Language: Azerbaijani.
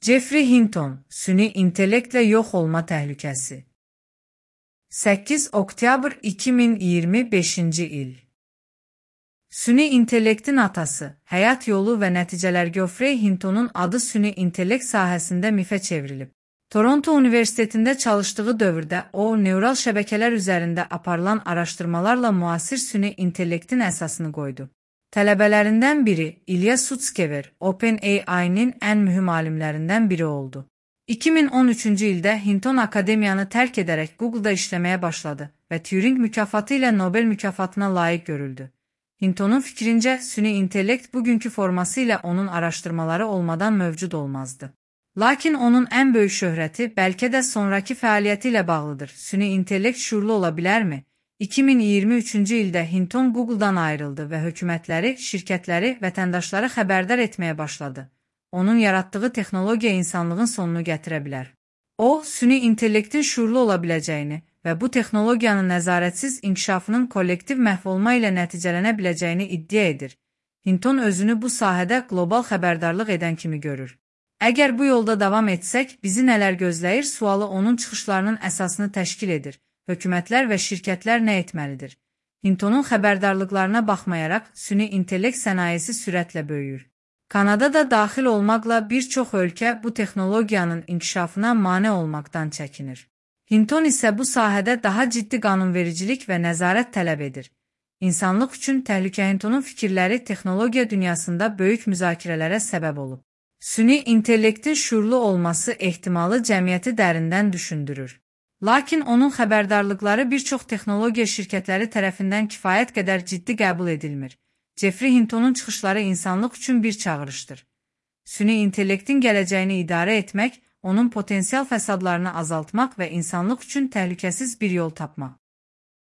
Jeffrey Hinton, süni intellektlə yox olma təhlükəsi. 8 oktyabr 2025-ci il. Süni intellektin atası, həyat yolu və nəticələr Geoffrey Hintonun adı süni intellekt sahəsində mifə çevrilib. Toronto Universitetində çalışdığı dövrdə o, neural şəbəkələr üzərində aparılan araşdırmalarla müasir süni intellektin əsasını qoydu. Tələbələrindən biri, İlya Sutskever, OpenAI-nin ən mühüm alimlərindən biri oldu. 2013-cü ildə Hinton akademiyanı tərk edərək Google-da işləməyə başladı və Turing mükafatı ilə Nobel mükafatına layiq görüldü. Hintonun fikrincə, süni intellekt bugünkü forması ilə onun araşdırmaları olmadan mövcud olmazdı. Lakin onun ən böyük şöhrəti bəlkə də sonraki fəaliyyəti ilə bağlıdır. Süni intellekt şuurlu ola bilərmi? 2023-cü ildə Hinton Google-dan ayrıldı və hökumətləri, şirkətləri, vətəndaşları xəbərdar etməyə başladı. Onun yaratdığı texnologiya insanlığın sonunu gətirə bilər. O, süni intellektin şuurlu ola biləcəyini və bu texnologiyanın nəzarətsiz inkişafının kollektiv məhv olma ilə nəticələnə biləcəyini iddia edir. Hinton özünü bu sahədə qlobal xəbərdarlıq edən kimi görür. Əgər bu yolda davam etsək, bizi nələr gözləyir sualı onun çıxışlarının əsasını təşkil edir. Hökumətlər və şirkətlər nə etməlidir? Hintonun xəbərdarlıqlarına baxmayaraq, süni intellekt sənayesi sürətlə böyüyür. Kanada da daxil olmaqla bir çox ölkə bu texnologiyanın inkişafına mane olmaqdan çəkinir. Hinton isə bu sahədə daha ciddi qanunvericilik və nəzarət tələb edir. İnsanlıq üçün təhlükə. Hintonun fikirləri texnologiya dünyasında böyük müzakirələrə səbəb olub. Süni intellektin şuurlu olması ehtimalı cəmiyyəti dərindən düşündürür. Lakin onun xəbərdarlıqları bir çox texnologiya şirkətləri tərəfindən kifayət qədər ciddi qəbul edilmir. Jeffrey Hintonun çıxışları insanlıq üçün bir çağırışdır. Süni intellektin gələcəyini idarə etmək, onun potensial fəsadlarını azaltmaq və insanlıq üçün təhlükəsiz bir yol tapmaq.